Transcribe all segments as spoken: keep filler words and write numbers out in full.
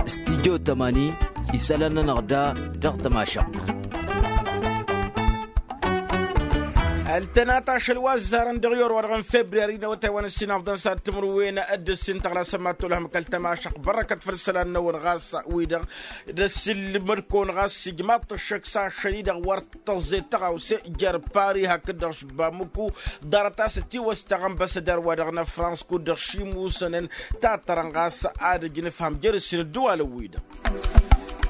Studyo tămani isălan-nănăɣ da dăɣ-tămašăɣt. Ăltănat ašăl wa ăzzarăn dăɣ-i orwa dăɣ-n febriyari n-awătay wa n-ǝssin afḍăn s-ad-timǝrwen d-ǝssin tăɣlasăn mad-tolhăm kăl-tămašăɣt bărrăkăt făll-isălan-năwăn ɣas wi-dăɣ d-ăssilmăd-kăwăn ɣas ijmaḍ-t ăššăk s-ašăl-i-dăɣ wăr tăẓẓe tăɣawse jer-pari hakd-dăɣ š-bamǝku ḍarăt a-s ătiwăstăɣ ănbăsădar-wa-dăɣ n-ăfrans kud-dăɣ šimǝwsănăn tattărăn ɣas ad-ăj nǝfhăm jer-ǝssin ǝddǝwalăn-wi-dăɣ.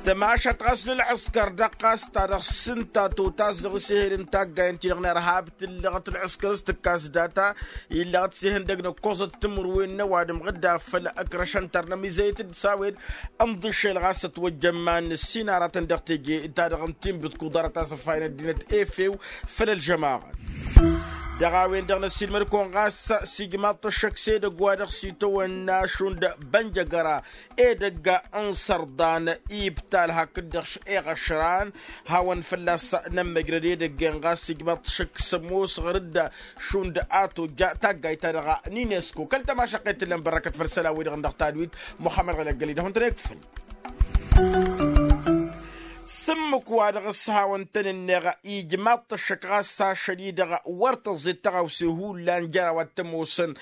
Tămašat ɣas n-ălɣǝskăr dăɣ-ɣas ta dăɣ-s ǝnta totas dăɣ-s ehel n-taggay ǝnta-i-dăɣ n-irhab tǝllăɣăt ălɣǝskăr s-tǝkkas data illăɣăt s-ehăn dăgg-năkkoẓăt timǝrwen n-ăwadǝm ɣǝdda făll-ăkrăšăn tărnăm izăyăt-dd s-a-wen ǝnḍǝšel ɣas ătwăjjăn iman n-ǝssin aratăn dăɣ-teje ta dăɣ-n tinbǝt kuḍarăt a-s ăffayăn ăddinăt efew făll-ălžămaɣăt. Dăɣ-a-wen-dăɣ năssiilmăd-kăwăn ɣas s-ijmaḍ-t ăššăk s-edăgg wa dăɣ-s itawănna šund bănjăgăra edăgg n-sărḍan ibtal hakd-dăɣ š-eɣăšran hawăn fălla-s nămmăjrăd edăgg-en ɣas ijmaḍ-t ăššăk s-ămoos ɣăr-dd šund a tojja taggayt-ta-dăɣ n-inesko kăl-tămašăqqet tǝllăn bărrăkăt făll-isălan-wi-dăɣ n-dăɣ-tadwit muxămmăd ɣălăggăl-i-dăɣ wăn-tăn-ekfǝl. S-ǝmmǝk wa dăɣ-s hawăn-tăn-ǝnneɣ ijmaḍ-t ăššăk ɣas s-ašăl-i-dăɣ wăr tăẓẓe tăɣawse hullan jer-a-wa t-ămoosăn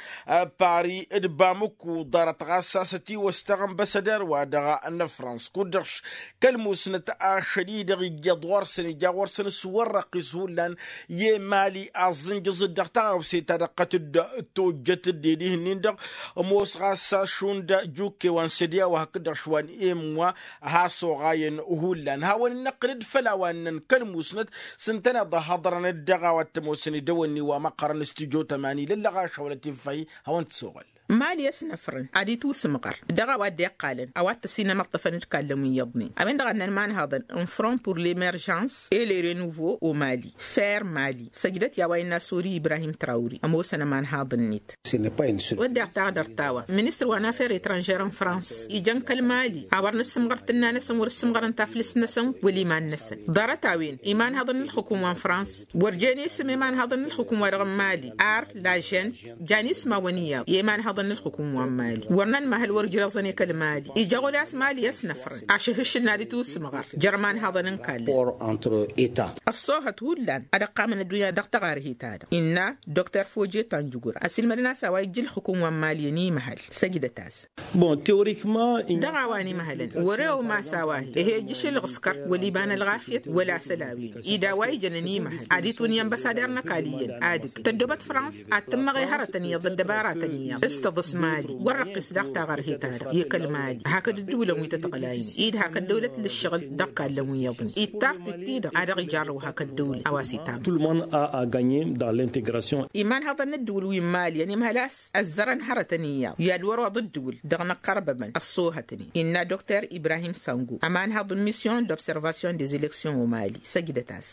pari d-bamǝku ḍarăt ɣas a-s ătiwăstăɣ ănbăsăder-wa-dăɣ n-ăfrans kud-dăɣ kăl-musnăt ašăl-i-dăɣ ija ɣur-săn ija ɣur-săn s-wăr răqqis hullan i-emali aẓǝnjǝẓ-dd dăɣ-tăɣawse-ta-dăɣ kăt-dd-tojjăt dd-ed ihǝnnin-dăɣ ămoos ɣas šund jukke wa n-sădya wa hakd-dăɣ šwa n-emwa has-oɣayăn hullan hawăn-dd-năqqǝl-dd făll-a-wa ǝnnăn kăl-musnăt s-ǝntăneḍ ăhhăḍrăn-dd dăɣ-a-wa t-ămoosăn idăwănni wa măqqărăn stujo tămani lăllăɣ ašăwălăt-in făy hawăn-t-soɣăl. Mali ăsnăfrăn ad-itwǝsmɣăr dăɣ-a-wa dd-iqqalăn a-wa t-ăsinămăṭṭăfăn d-kallăn wi iyyăḍnen a-wen-dăɣ a ǝnnăn imanhaḍăn n-front pour l-emerjans et le renouveau au mali. Fer mali săjdăt i-a-wa innă sori ibrahim trawri ămoosăn ămanhaḍ-net. Wădden taɣdărt ta-wa ministăr wa n-afer etranžer n-frans ijăn kăl-mali a wăr nǝssǝmɣăr tǝnna-năsăn wăr ǝssǝmɣărăn taflǝst-năsăn wăla iman-năsăn. Ḍarăt-a-wen imanhaḍăn n-ǝlxǝkǝm wa n-frans wăr jen isǝm imanhaḍăn n-ǝlxǝkǝm wa dăɣ-n mali ar lažent jan ismawăn iyyăḍ i-imanhaḍăn n-ǝlxǝkǝm wa n-mali wăr nănmăhăl wăr ǝjrăẓăn i-kăl-mali ija ɣur-i a-s mali ăsnăfrăn ašăhǝššǝl n-ad-itwǝsmɣăr jer-imanhaḍăn n-kallăn. Ăṣṣoohăt hullan ad-ăqqamăn ăddunya dăɣ-taɣarhit-ta-dăɣ innă dokter foje tanjǝgur ăsilmădăn a-s a-wa ijja ǝlxǝkǝm wa n-mali ănimăhăl săjdăt-as. Dăɣ-a-wa n-imăhălăn wăr-e umas a-wa hi-e ejjǝš ǝlɣǝskăr wăla iba n-ălɣafyăt wăla asăl a-wen-i d-a-wa ijăn ănimăhăl ad-itwǝnǝy ănbăsader n-ăkall iyyăn ad-ǝgg tăddobăt frans ad-tǝmmăɣ i-hărătăn iyyăḍ d-ăddăbaratăn iyyăḍ s-tăḍǝs mali wăr răqqis daɣ taɣărhet-ta-dăɣ i-kăl-mali hakd ǝddǝwǝlăn wi tăt-ăɣlaynen i-dd hak ăddăwlăt l-ǝššăɣǝl dăɣ-kallăn wi iyyăḍnen i-d tartit-ti-dăɣ a dăɣ-ijarrăw hak ăddăwlăt a-wa s-itam. Tout le monde a a gagner dans l'integration. Imanhăḍăn n-ǝddǝwǝl wi n-mali ănimhăl a-s ăzzărăn hărătăn iyyăḍ i-ad-wăr-oḍ ǝddǝwǝl dăɣ-inăqqărbămăn ăṣṣoohătnen innă dokter ibrahim sangu ămanhăḍ n-misyon d-observasyon des eleksyons o-mali săjdăt-as.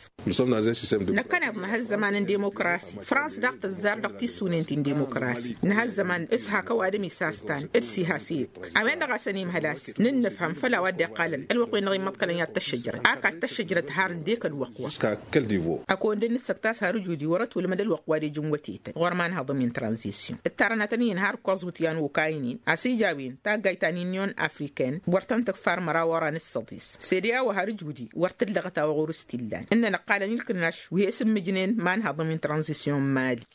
Năkkăneḍ nǝha ăzzăman n-demokrasi frans daɣ tăzzar dăɣ-tissunen ti n-demokrasi nǝha ăzzăman s-hak ăwadǝm isastan d-sihas i-dd a-wen-dăɣ a-s ănimhăl a-s nǝnnǝfhăm făll-a-wa dd-iqqalăn ălwăqq-wen-dăɣ immăḍkălăn i-ad-tăššăjrăt ak ad-tăššăjrăt har ǝndek ălwăqq-wa. Ăkondăn nǝssăkt a-s har ǝjud-i wăr-ătwǝlmăd ălwăqq wa d-ejǝn wătetăn ɣur-imanhăḍ-wi n-tranzisyon ǝttarăn ad-tăn-iyǝn har ǝkkoẓ wǝtyan okaynen a-s ija a-wen taggayt ta n-inyon afriken wăr tăn-tǝkfar măraw oran s-săḍis sede a-wa har ǝjud-i wăr t-ǝllăɣăt a-wa ɣur-s t-illan ǝnnăn ǝqqalăn ilkǝnnaš wi he-sǝmmǝjnen imanhăḍăn wi n-tranzisyon n-mali.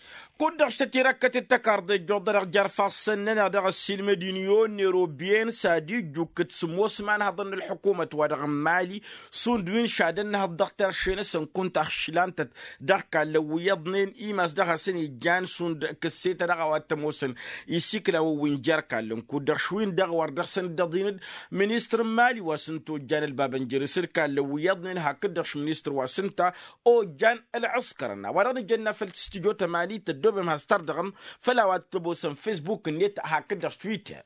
Kud-dăɣ s-tătirăkkăt d-tăkarḍe ǝjjuḍănăɣ jer-ifassăn-nănăɣ dăɣ-ăssiilmăd-in i-onner obiyens ad-ijjukkǝt sǝmmos imanhăḍăn n-ălḥukumăt wa dăɣ-n mali šund wi n-šadăn inhăḍ dăɣ-terše-năsăn kunta ăššǝlantăt dăɣ-kallăn wi iyyăḍnen imas dăɣ-hasăn-ijjan šund kǝsse-ta dăɣ-a-wa t-ămoosăn isikla-wăn wi n-jer-kallăn kud-dăɣ šwi-n-dăɣ wăr dăɣ-săn dd-ăḍin d-ministăr n-mali wa s-ǝnta ojjan ălbabăn jere-s d-kallăn wi iyyăḍnen hakd-dăɣ š-ministăr wa s-ǝnta ojjan ălɣǝskărăn a-wa dăɣ-nǝjănna făll-stujo tămani tăddoobem has-tărdăɣăm făll-a-wa t-ămoosăn facebook-net hakd-dăɣ twitter.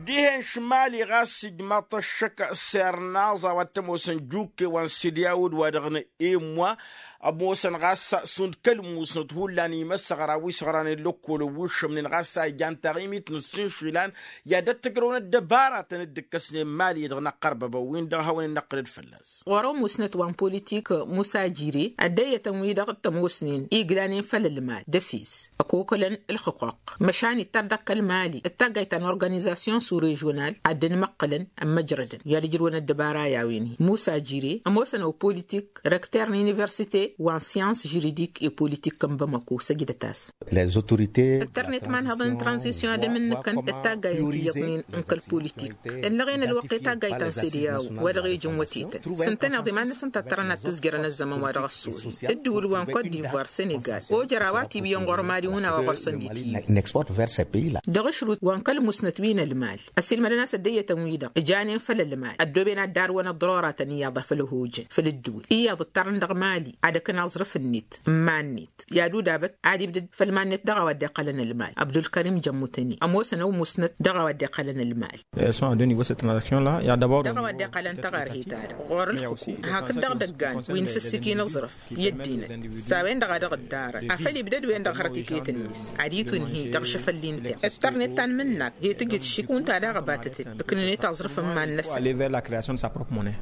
Dihen šmali ɣas ijmaḍ-t ăššăk s-ernaẓ a-wa t-ămoosăn jukke wa n-sidyaw d-wa-dăɣ n-emwa ămoosăn ɣas šund kăl-musnăt hullan imăsăɣra wi s-ɣranen lăkkolăn wi šămnen ɣas a ijan taɣimit n-ǝssin išilan i-ad-ăttǝjrăwăn ăddăbaratăn dd-ǝkkăsnen mali-dăɣ n-ăqqărbăbăn-win-dăɣ hawăn-in-năqqǝlăd fălla-s. Ɣur-ămusnăt wa n-politik musa jire ăddăyyătăn-wi-dăɣ t-ămoosnen iglanen făll-ălmal d-efis ăkokălăn ǝlxǝquq măšan ittăr dăɣ-kăl-mali d-taggayt ta n-organizasyon su-režional ad-dd-măqqǝlăn ămmăjrădăn i-ad-ǝjrǝwăn ăddăbara i-a-wen-hi musa jire ămoosăn ăw politik rekter n-universite wa n-syans žuridik i-politik n-bamako săjdăt-as. Ăttărnet imanhăḍăn n-tranzisyon ad-ămǝnnǝkăn d-taggay n-tiyyăḍnen n-kăl-politik ǝllăɣen ălwăqq i-taggayt ta n-sede a-wen wa dăɣ-ejǝn wătetăn s-ǝntăneḍ iman-năsăn ta t-tărăn ad-tǝzjărăn ăzzăman wa dăɣ-ăssoḍen d-dăwǝl wa n-kot divoir senegal ojăr a-wa tiwǝyăn ɣur-mali huna wa ɣur-săn d-itǝyǝw. Dăɣ-ašrut wa n-kăl-musnăt wi n-ălmal ăssiilmădăn a-s ăddăyyătăn-wi-dăɣ ǝjanen făll-ălmal ăddooben ad-darwăn ăḍroratăn iyyăḍ a făl ăhojăn făll-ǝddǝwǝl iyyăḍ ǝttărăn dăɣ-mali ad-ăkǝn aẓrǝf-net n-iman-net i-ad-udabăt ad-ibdăd făll-iman-net dăɣ-a-wa dd-iqqălăn ălmal abdulkărim jămmutăni ămoosăn ăw musnăt dăɣ-a-wa dd-iqqălăn ălmal. Dăɣ-a-wa dd-iqqălăn taɣărhe-ta-dăɣ ɣur-ǝlxǝku hakd dăɣ-idăggan wi n-sǝssǝkin aẓrǝf i-ăddinăt s-a-wen-dăɣ a dăɣ-ǝddarăn afăl ibdăd-wen-dăɣ hărăt iket-net ad-itunhi dăɣ-ašăfăl-i n-tiɣ ǝttărnet ta n-imǝnnak he-tǝjǝt šikun ta daɣ ăbatăt-dd ǝknǝnet aẓrǝf n-iman-năsăn.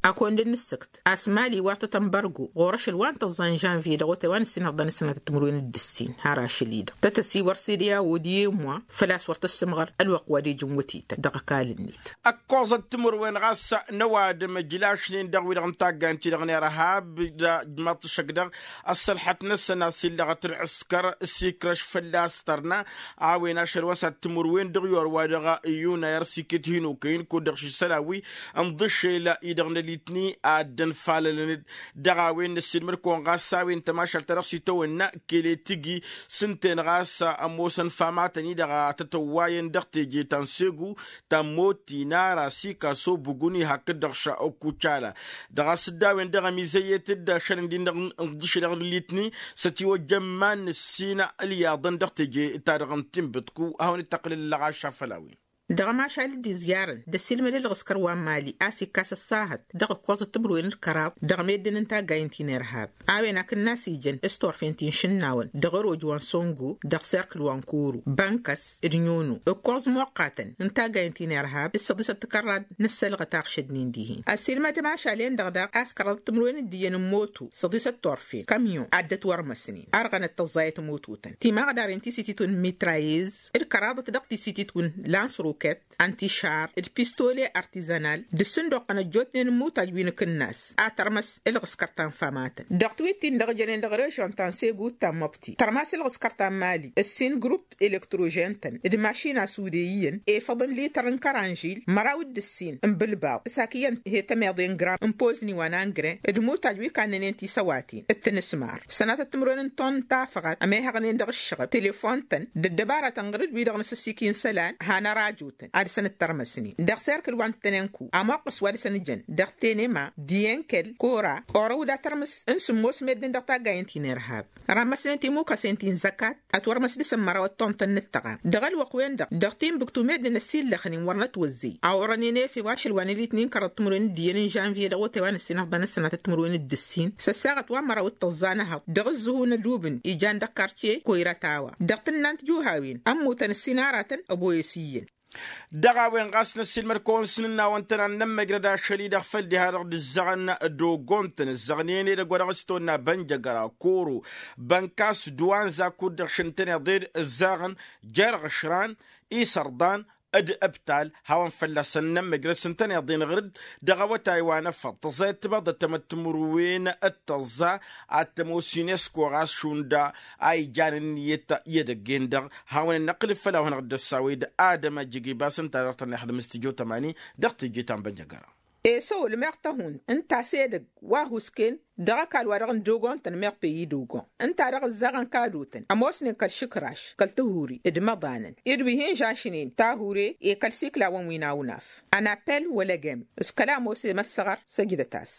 Akăwăn-dd-nǝssǝkt a-s mali wartăt ănbărgo ɣur-ašăl wa n-tăẓẓa n-žănvye dăɣ-otay wa n-ǝssin ăḍḍăn ăssinatăt timǝrwen d-ǝssin har ašăl-i-dăɣ tăt-ăsiwăr sede a-wo d-iyyăm wa făl-a-s wăr tăssǝmɣăr ălwăqq wa d-ejǝn wătetăn dăɣ-ăkall-net. Ăkkoẓăt timǝrwen ɣas n-ăwadǝm ǝjlašnen dăɣ-wi-dăɣ n-taggayăn-ti-dăɣ n-irhab d-ajmaḍ-t ăššăk dăɣ-ăssălḥăt-năsăn a-s illăɣăt ǝlɣǝskăr s-ikrăš fălla-s tărna a-wen ašăl wa s-ad-timǝrwen dăɣ-iyor wa dăɣ-iyunayăr s-iket hin-okăyăn kud-dăɣ šisălan wi n-iḍǝššel-i-dăɣ n-ălitni ad-dd-ănfalălăn-dd dăɣ-a-wen năssiilmăd-kăwăn ɣas a-wen tămašalt ta dăɣ-s itawănna kele tǝgi s-ǝnta-en ɣas ămoosăn famatăn-i-dăɣ a tătăwwayăn dăɣ-teje ta n-segu ta n-moti n-ara sikaso buguni hakd-dăɣ šakucala dăɣ-a-s dd-a-wen-dăɣ ămizăyyet-dd ašăl ǝndin-dăɣ n-ǝḍǝše dăɣ-nǝllitni s-ătiwăjja n-iman n-ǝssin ǝlyaḍăn dăɣ-teje-ta-dăɣ n-tinbǝḍku a hawăn-dd-tăqqǝlăl ǝllăɣaš afăl a-wen. Dăɣ-ămašal dd-izjarăn d-ăssiilmăd ǝlɣǝskăr wa n-mali a-s ikkas ăṣṣahăt dăɣ-ǝkkoẓăt timǝrwen d-kăraḍ dăɣ-meddǝn n-taggay n-tinirhab a-wen akǝnnas ijăn s-turfen ti n-išǝnnawăn dăɣ-ăroj wa n-songo dăɣ-serkǝl wa n-koro bănkăs d-nyono ǝkkoẓ imoqqatăn n-taggay n-tinirhab d-săḍisăt tikărrad n-ăssălɣăt a ăɣšădnen dihen ăssiilmăd ămašal-en-dăɣ daɣ a-s kăraḍăt timǝrwen d-iyyăn n-moto săḍisăt turfen kamyon ad-dd-ătwărmăsnen ărɣănăt tăẓẓayăt mototăn timaɣdaren ti s-ititwǝn mitrayez d-kăraḍăt dăɣ-ti s-ititwǝn lansruket ăntišar d-pistole artizanal d-ǝssǝndoqqăn ăjjootnen n-imutaj wi n-akǝnnas a tărmăs ǝlɣǝskăr ta n-famatăn dăɣ-tiwit-tin-dăɣ jănen dăɣ-režon ta n-segu d-tammăbti tărmas ǝlɣǝskăr ta n-mali ǝssin grupp elektrožen-tăn d-mašina sude iyyăn efăḍăn lităr n-kăranžil măraw d-ǝssin n-bǝlbaḍ s-ak iyyăn he-tămeḍe n-gram n-pozni wa n-angre d-imutaj wi kannănen tisăwaten d-tinǝsmar sănatăt timǝrwen n-ton n-tafăɣat ămehăɣnen dăɣ-ǝššăɣăb telefon-tăn d-ăddăbaratăn ɣǝr-dd wi-dăɣ n-asǝssiki n-isălan han ărajotăn ad-săn-dd-tărmăsnen dăɣ-serkǝl wa n-tănenku ămoqqăs wa dăɣ-săn ǝjăn dăɣ-tenema diyenkel kora orăw d-atărmǝs n-sǝmmos meddǝn dăɣ-taggayen ti n-irhab rămmăsnen timukăsen ti n-zăkat ătwărmăs dăɣ-săn măraw ăttontăn n-ǝttăɣam dăɣ-ălwăqq-wen-dăɣ dăɣ-tinbǝktu meddǝn ăsillăxnen wăr nătwăzzey a orănen efew ašăl wa n-elitnin kăraḍ timǝrwen d-iyyăn n-žanvye dăɣ-otay wa n-ǝssin ăhḍăn ăssănatăt timǝrwen d-ǝssin s-ăssaɣăt wa n-măraw d-tăẓẓa n-ehăḍ dăɣ-ǝzzǝhu n-ădubǝn ijan dăɣ-kartiye koyra tawa dăɣ-tǝnnant juhawen ămmutăn ǝssin aratăn ăboyăs iyyăn. Dăɣ-a-wen ɣas năssiilmăd-kăwăn s-inǝnnawăn-tăn ad-nămmăjrăd ašăl-i-dăɣ făll-diha-dăɣ d-ǝzzăɣăn d-ogon-tăn ǝzzăɣnen edăgg wa dăɣ-s tăwănna bănjăgăra koro bănkas duwanza kud-dăɣ šăn tăn-iḍed ǝzzaɣăn jer-ɣăšran isărḍan d-ǝbtal hawăn-fălla-săn nămmăjrăd s-ǝntăneḍ-en ɣǝr-dd dăɣ-awătay wa n-efăḍ tăẓẓayăt tibaḍăt tamăttǝmǝrwen d-tăẓẓa ad-tămoos inesko ɣas šund a ijan ǝnniyăt i-edăgg-en-dăɣ. Hawăn-in-năqqǝlǝd făll-a-wen ɣǝr-dd ăssawe d-adăm ajjǝg ibas ǝnta dăɣ-tăn-ixdǝm s-tijot ămani dăɣ-teje ta n-bănjăgăra. Esăwăl meɣ tăhunt ǝnta a-s edăgg wa huskăn dăɣ-ăkall wa dăɣ-n dogon-tăn meɣ peyi dogon ǝnta dăɣ-ǝzzaɣăn kadotăn ămoosnen kăl-išǝkraš kăl-tihuri d-imăḍanăn d-wi hin-žašnen tahure i-kăl-siklawăn wi n-awnaf ănapel wăla agem s-kăla ămoos i-măssăɣăr. Săjdăt-as.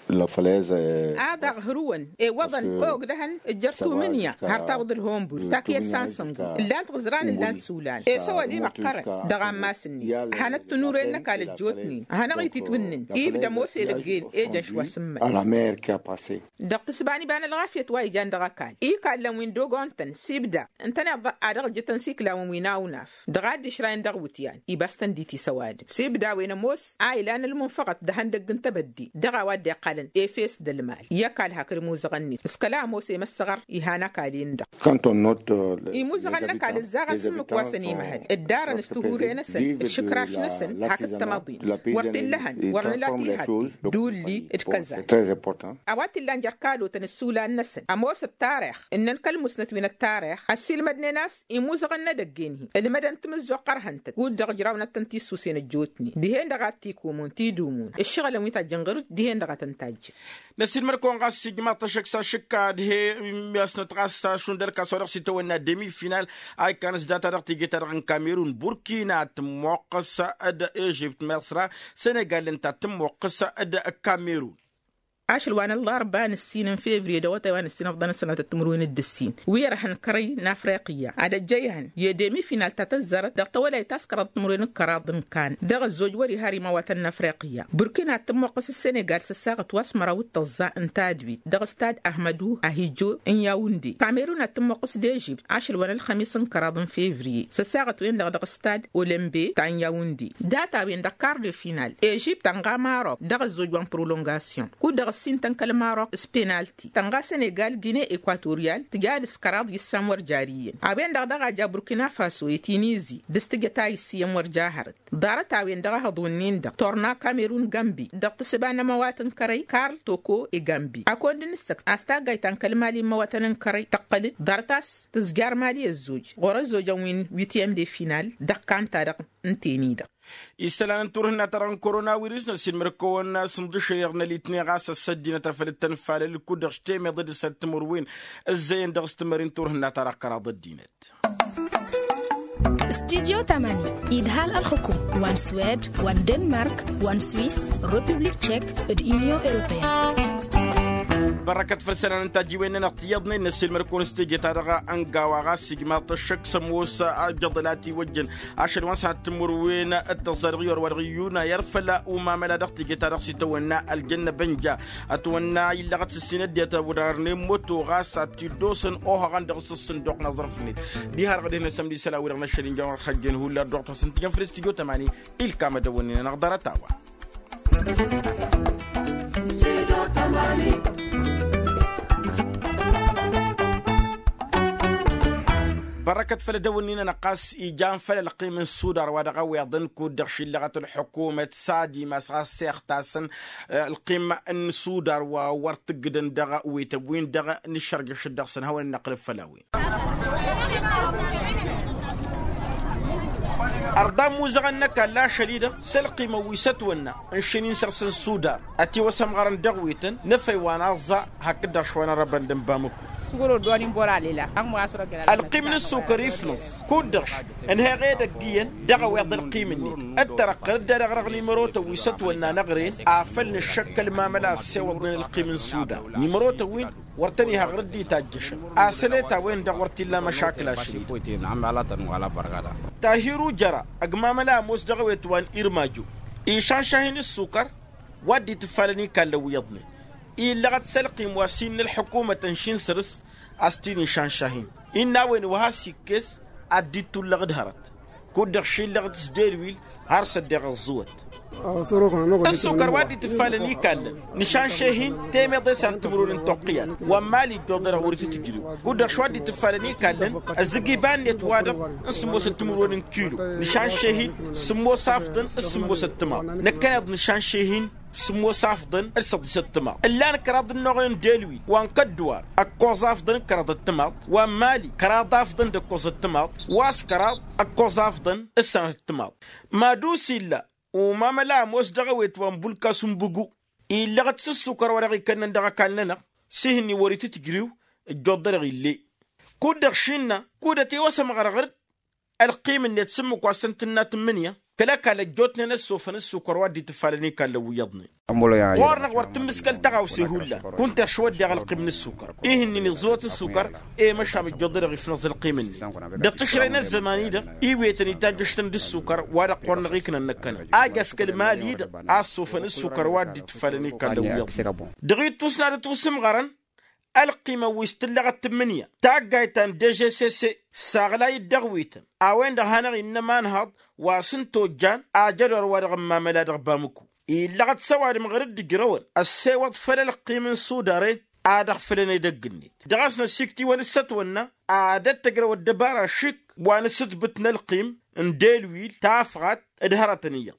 A daɣ hărǝwăn ewăḍăn ogdăhăn ǝjjăr tumǝnya har tawǝḍ ǝlhonbur takǝyăt sansăngu ǝllan-t ɣǝẓran ǝllan-t sulan esăwăl imăqqărăn dăɣ-ammas-net hanăt-tǝnuren n-ăkall ăjjootnen hanăɣ-ititwǝnnǝn ibda ămoos edăgg-en ejăn šwa sǝmmăt. Dăɣ-tǝsba n-iba n-ălɣafyăt wa ijan dăɣ-ăkall ikallăn wi n-dogontăn s-ibda ǝntăneḍ ad-dăɣ-ǝjjǝtăn s-iklawăn wi n-awnaf dăɣ-ad-dd-išrayăn dăɣ-iwǝtyan ibas-tăn dd-itisăwadăn s-ibda a-wen ămoos a ilan ălmunfăɣăt d-ehăndăgg n-tebădde dăɣ-a-wa dd-iqqalăn efes d-ălmal i-ăkall hakd imuzăɣăn-net s-kăla ămoos i-măssăɣăr ihan ăkall-en-dăɣ. Imuzăɣăn n-ăkall ǝzzaɣăn s-ǝmmǝk wa săn imhăl ǝddarăn s-tihure-năsăn d-išǝkraš-năsăn hakd tămaḍint wăr t-illăhăn wăr nǝla tihătte d-ulli d-kăzan. A-wa t-illan jer-kadotăn ǝssulan-năsăn ămoos ăttarix ǝnnăn kăl-musnăt wi n-ăttarix ăssiilmădnen a-s imuzăɣăn n-edăgg-en-hi ǝlmădăn timǝzzuɣt qărhăn-tăn kud-dăɣ ǝjrawnăt-tăn tissuse n-ăjjootnen dihen-dăɣ a t-ikumǝn tidǝmǝn ǝššăɣǝlăn wi tajjăn ɣur-dd dihen-dăɣ a tăn-tajjăn. Năsiilmăd-kăwăn ɣas s-ijmaḍ-t ăššăk s-ašǝkka d-he-i ăsnăt ɣas s-ašund ălkas wa dăɣ-s itawănna demi-final a ikkan s-data-dăɣ teje-ta-dăɣ n-kamerun burkina tǝmmoqqăs d-ežipt măsra senegal ǝnta tǝmmoqqăs d-kamerun. Ašăl wa n-ăllarba n-ǝssin n-fevriye d-awătay wa n-ǝssin ăfḍăn ăssanătăt timǝrwen d-ǝssin wi ărhăn kărăy n-afriqya ad-ăjjăyhăn i-demi final ta tăzzarăt dăɣ-tawălayt ta s-kăraḍ timǝrwen d-kăraḍ n-kan dăɣ-ăzzoj wăr-iha ar imawatăn n-afriqya burkina ad-tǝmmoqqăs s-senegal s-ăssaɣăt wa s-măraw d-tăẓẓa n-tadwit dăɣ-stad ahmădu ahijo n-yawunde kamerun ad-tǝmmoqqăs d-ežipt ašăl wa n-ălxămis n-kăraḍ n-fevriye s-ăssaɣăt-wen-dăɣ dăɣ-stad olembe ta n-yawunde data-wen-dăɣ kar de final ežipt tănɣa marok dăɣ-ăzzoj wa n-prolongasyon kud-dăɣ ăssintăn kăl-marok s-penalti tănɣa senegal gine ekwatoryal tǝja dăɣ-s kăraḍ issan wăr jari iyyăn a-wen-dăɣ daɣ a ja burkina faso i-tinizi dăɣ-s tǝjăt a issi iyyăn wăr ja hărăt ḍarăt a-wen-dăɣ a hăḍ wǝnnin-dăɣ torna kamerun gambi dăɣ-tǝsǝba n-ămăwat n-kărăy karl toko i-gambi a kăwăn-dd-nǝssăkt a-s taggayt ta n-kăl-mali n-imăwatăn n-kărăy tăqqăl-dd ḍarăt a-s tǝzjar mali ăzzoj ɣur-ăzzoj a-wen wi t-iyyăm de final dăɣ-kan-ta-dăɣ n-teni-dăɣ. Isălan n-turhǝnna-ta-dăɣ n-korona wirǝs n-ăssiilmăr-kăwăn s-ǝnḍǝšăreɣ n-ălitne ɣas ăssăddinăt a făl dd-tăn-falăl kud-dăɣ s-temeḍe d-ǝssan timǝrwen ǝzzăyăn dăɣ-s timări n-turhǝnna-ta-dăɣ kăraḍ ăddinăt. Studyo tamani idhal ălxǝkum wa n-swed wa n-denmark wa n-swis republik tšek d-inyon europeyăn. Bărrăkăt făll-isălan n-tajjiwen-nănăɣ tiyyăḍnen n-ăssiilmăr-kăwăn s-teje-ta-dăɣ ăngawa ɣas ijmaḍ-t ăššăk s-ămoos ajăḍăl a tiwăjjăn ašăl wa n-sănat timǝrwen d-tăẓẓa dăɣ-i orwa dăɣ-iyyuna i-ad-făl umamăla dăɣ-teje-ta-dăɣ s-itawănna ăljănnăb ănja ătwănna illăɣăt s-ǝssin ăddinăt a wăr-arnen moto ɣas ad-t-dd-osăn ohăɣăn dăɣ-s ǝssǝnduq n-aẓrǝf-net. Diha-dăɣ dehăn asămd isălan-wi-dăɣ n-ašăl inja wăr-ăxxăjjen hullan dd-oɣtosăn tijăn făll-studyo tamani ilkam ad-dăwănnen-anăɣ ḍarăt-a-wa. Bărrăkăt făll-ad-ăwǝnnin-anăɣ ɣas ijan făll-ălqim n-sudar wa dăɣ-ăweḍăn kud-dăɣ šillăɣăt ălḥukumăt s-ad-imas ɣas s-ixtasăn ălqim n-sudar wa wăr t-ǝggǝdăn dăɣ-wetăn-win-dăɣ nǝššărjăšăt dăɣ-săn hawăn-dd-năqqǝlăb făll-a-wen. Ărḍa ămmuzăɣăn n-ăkall ašăl-i-dăɣ s-ălqimăn wi s-ătwănna n-šin-in săr-săn sudar ătiwăsămɣărăn dăɣ-wetăn n-efăy wa n-aẓẓa hakd-dăɣ šwa n-arăbăn d-ănbamǝku. Ălqim n-ǝssukăr ifnăẓ kud-dăɣ š-ǝnheɣ edăgg iyyăn dăɣ-ăweḍ ălqim-net ǝttărăqqăl dd-ad-ăɣrăɣ nimărotăn wi s-ătwănna n-eɣren afăl nǝššăkkăl mamăla ăssewăḍnen ălqim n-sudar nimărotăn-win wăr tăn-iha ɣur-dd-itajjăšăn. Asălet-a-wen-dăɣ wăr t-illa măšakla ašăl-i-dăɣ. Tahiru jăra ăgg mamăla ămoos dăɣ-ewet wa n-irmajo išanšahin ǝssukăr wa dd-itǝffalăn ikallăn wi iyyăḍnen illăɣăt s-ălqim wa s-innă ălḥukumăt ănšin săr-s a-s t-in-išanšahin. Innă a-wen wa has-ikkes ad-dd-ittullăɣ d-hărăt kud-dăɣ šillăɣ-t s-delwil har s-ăddeɣ ăẓẓǝwăt. Ǝssukăr wa dd-itǝffalăn ikallăn nǝšanšehin temeḍe s-ad-tǝmrǝwăn n-toqqǝyat wa n-mali ijjuḍ-dăɣ wăr-itǝtǝjrǝw kud-dăɣ š-wa dd-itǝffalăn ikallăn ăzzǝg iba-net wa-dăɣ n-sǝmmosăt timǝrwen n-kilo nǝšanšehin sǝmmos afḍăn d-sǝmmosăt timaḍ năkkăneḍ nǝšanšehin sǝmmos afḍăn d-săḍisăt timaḍ ǝllan kăraḍ ǝnnoɣen n-delwil wa n-kăddǝwar ăkkoẓ afḍăn d-kăraḍăt timaḍ wa n-mali kăraḍ afḍăn d-ăkkoẓăt timaḍ wa s-kăraḍ ăkkoẓ afḍăn d-sănatăt timaḍ. Madus illa umamăla ămoos dăɣ-ewet wa n-bulkas n-bǝgu illăɣ-t s-ǝssukăr wa dăɣ-ikănnăn dăɣ-ăkall-nănăɣ s-ihǝnni wăr-itǝtǝjriw ǝjjuḍ-dăɣ ill'-e. Kud-dăɣ šinnă kud-ătiwăsăm ɣărɣǝr-dd ălqim-net s-ǝmmǝk wa s-ăntǝnna tǝmmǝnǝya kăl-ăkall ăjjootnen ăssofăn ǝssukăr wa dd-itǝffalăn ikallăn wi iyyăḍnen. Ɣur-năɣ wăr tǝmmǝskăl tăɣawse hullan kunta ăšwăddeɣ ălqim n-ǝssukăr. Ih'-ǝnnin iẓẓǝwăt ǝssukăr i-măšan ăjjoḍădăɣ ifnăẓ ălqim-ǝnnin dăɣ-tǝšrăy n-ăzzăman-i-dăɣ. Iwetăn itajjăštăn d-ǝssukăr wa-dăɣ ɣur-năɣ iknăn năkkănăɣ a j-askăl imal-i-dăɣ a ăssofăn ǝssukăr wa dd-itǝffalăn ikallăn wi iyyăḍnen. Dăɣ-ittus n-ad-ătwǝsǝmɣărăn ălqimăn wi s-tǝllăɣăt tǝmmǝnǝya taggayt ta n-dejessesse. Saɣlay-dd dăɣ-wi-tăn a-wen-dăɣ hanăɣ-innă imanhăḍ wa s-n-tojjan ajădor wa dăɣ-ămmamăla dăɣ-bamǝku illăɣăt s-ăwadǝm ɣur-dd-ǝjrăwăn ăssewăḍ făll-ălqim n-sudaren. Ad-ăɣfǝlăn edăgg-net dăɣ-s năsiktiwăn ǝssătwănna ad-ăttăjrăw ăddăbara šik wa n-asǝtbǝt n-ălqim n-delwil tafɣat d-hărătăn iyyăḍ.